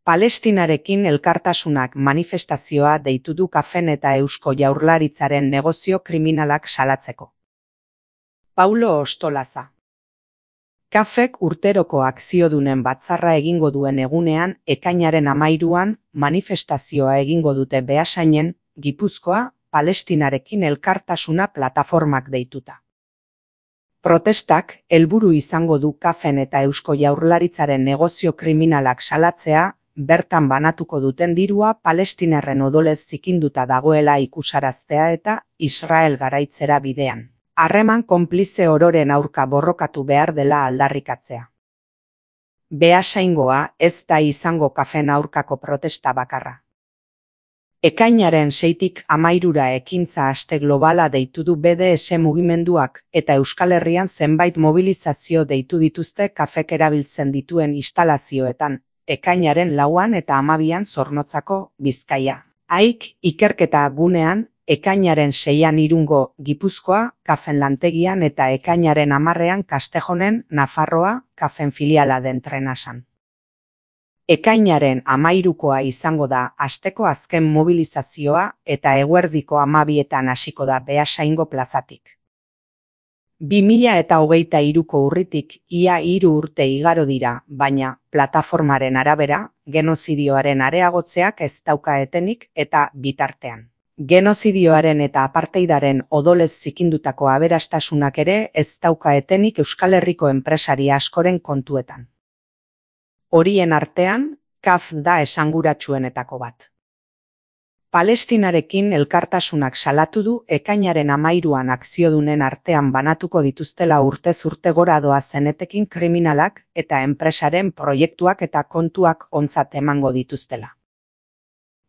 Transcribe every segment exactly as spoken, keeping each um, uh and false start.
Palestinarekin elkartasunak manifestazioa deitu du Kafen eta Eusko Jaurlaritzaren negozio kriminalak salatzeko. Paulo Ostolaza. Kafek urteroko akziodunen batzarra egingo duen egunean, ekainaren hamairuan, manifestazioa egingo dute Beasainen, Gipuzkoa, Palestinarekin elkartasuna plataformak deituta. Protestak helburu izango du Kafen eta Eusko Jaurlaritzaren negozio kriminalak salatzea, bertan banatuko duten dirua Palestinarren odolez zikinduta dagoela ikusaraztea eta Israel garaitzera bidean. Harreman konplize ororen aurka borrokatu behar dela aldarrikatzea. Beasaingoa ez da izango Kafen aurkako protesta bakarra. Ekainaren seitik hamairura ekintza aste globala deitu du B D S mugimenduak eta Euskal Herrian zenbait mobilizazio deitu dituzte Kafek erabiltzen dituen instalazioetan, ekainaren lauan eta hamabian Zornotzako, Bizkaia. Aik, ikerketa gunean, ekainaren seian Irungo, Gipuzkoa, Kafen lantegian eta ekainaren hamarrean Kastejonen, Nafarroa, Kafen filiala den Trenasan. Ekainaren hamairukoa izango da asteko azken mobilizazioa eta eguerdiko hamabietan hasiko da Beasaingo plazatik. bi mila eta hogeita hiruko urritik ia hiru urte igaro dira, baina, plataformaren arabera, genozidioaren areagotzeak ez dauka etenik eta bitartean. Genozidioaren eta apartheidaren odolez zikindutako aberastasunak ere ez dauka etenik Euskal Herriko enpresari askoren kontuetan. Horien artean, Kaf da esanguratsuenetako bat. Palestinarekin elkartasunak salatu du ekainaren hamairuan akziodunen artean banatuko dituztela urtez urte gora doazen etekin kriminalak eta enpresaren proiektuak eta kontuak ontzat emango dituztela.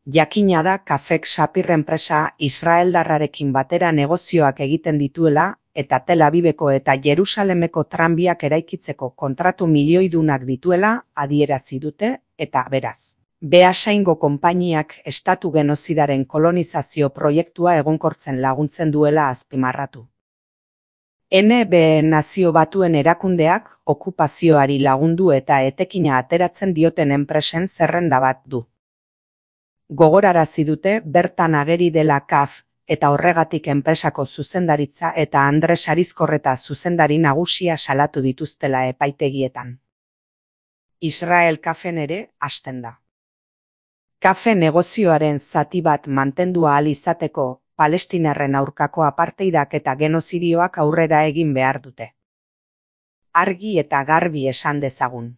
Jakina da Kafek Sapir enpresa Israeldarrarekin batera negozioak egiten dituela eta Tel Aviveko eta Jerusalemeko tranbiak eraikitzeko kontratu milioidunak dituela adierazi dute eta beraz. Beasaingo konpainiak estatu genozidaren kolonizazio proiektua egonkortzen laguntzen duela azpimarratu. N B Nazio Batuen erakundeak okupazioari lagundu eta etekina ateratzen dioten enpresen zerrenda bat du. Gogorarazi dute bertan ageri dela Kaf eta horregatik enpresako zuzendaritza eta Andres Arizkorreta zuzendari nagusia salatu dituztela epaitegietan. Israel Kafen ere hasten da. Kafe negozioaren zati bat mantendu ahal izateko, Palestinarren aurkako apartheidak eta genozidioak aurrera egin behar dute. Argi eta garbi esan dezagun.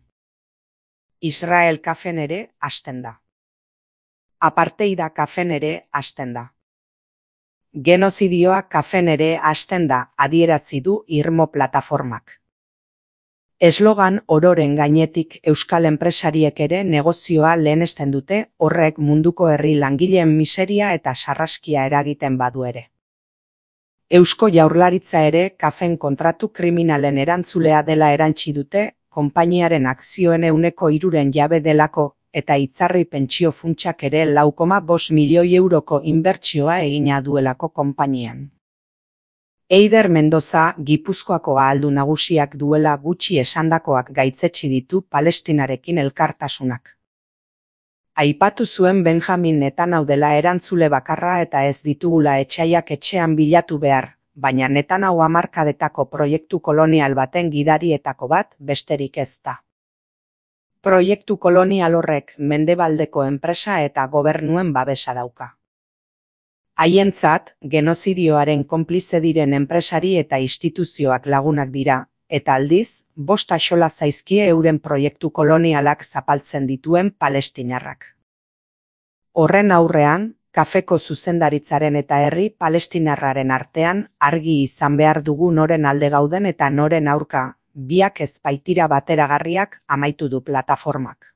Israel Kafen ere hasten da. Apartheida Kafen ere hasten da. Genozidioa Kafen ere hasten da, adierazi du Irmo plataformak. Eslogan ororen gainetik Euskal enpresariek ere negozioa lehenesten dute, horrek munduko herri langileen miseria eta sarraskia eragiten badu ere. Eusko Jaurlaritza ere Kafen kontratu kriminalen erantzulea dela erantsi dute, konpainiaren akzioen ehuneko hiruren jabe delako eta Itzarri pentsio funtsak ere lau koma bost milioi euroko inbertsioa egina duelako konpainian. Eider Mendoza, Gipuzkoako ahaldun nagusiak duela gutxi esandakoak gaitzetsi ditu Palestinarekin elkartasunak. Aipatu zuen Benjamin Netanyahu dela erantzule bakarra eta ez ditugula etxaiak etxean bilatu behar, baina Netanyahu hamarkadetako proiektu kolonial baten gidarietako bat besterik ez da. Proiektu kolonial horrek mendebaldeko enpresa eta gobernuen babesa dauka. Haientzat, genozidioaren konplize diren enpresari eta instituzioak lagunak dira, eta aldiz, bost axola zaizkie euren proiektu kolonialak zapaltzen dituen palestinarrak. Horren aurrean, Kafeko zuzendaritzaren eta herri palestinarraren artean argi izan behar dugu noren alde gauden eta noren aurka, biak ez baitira bateragarriak amaitu du plataformak.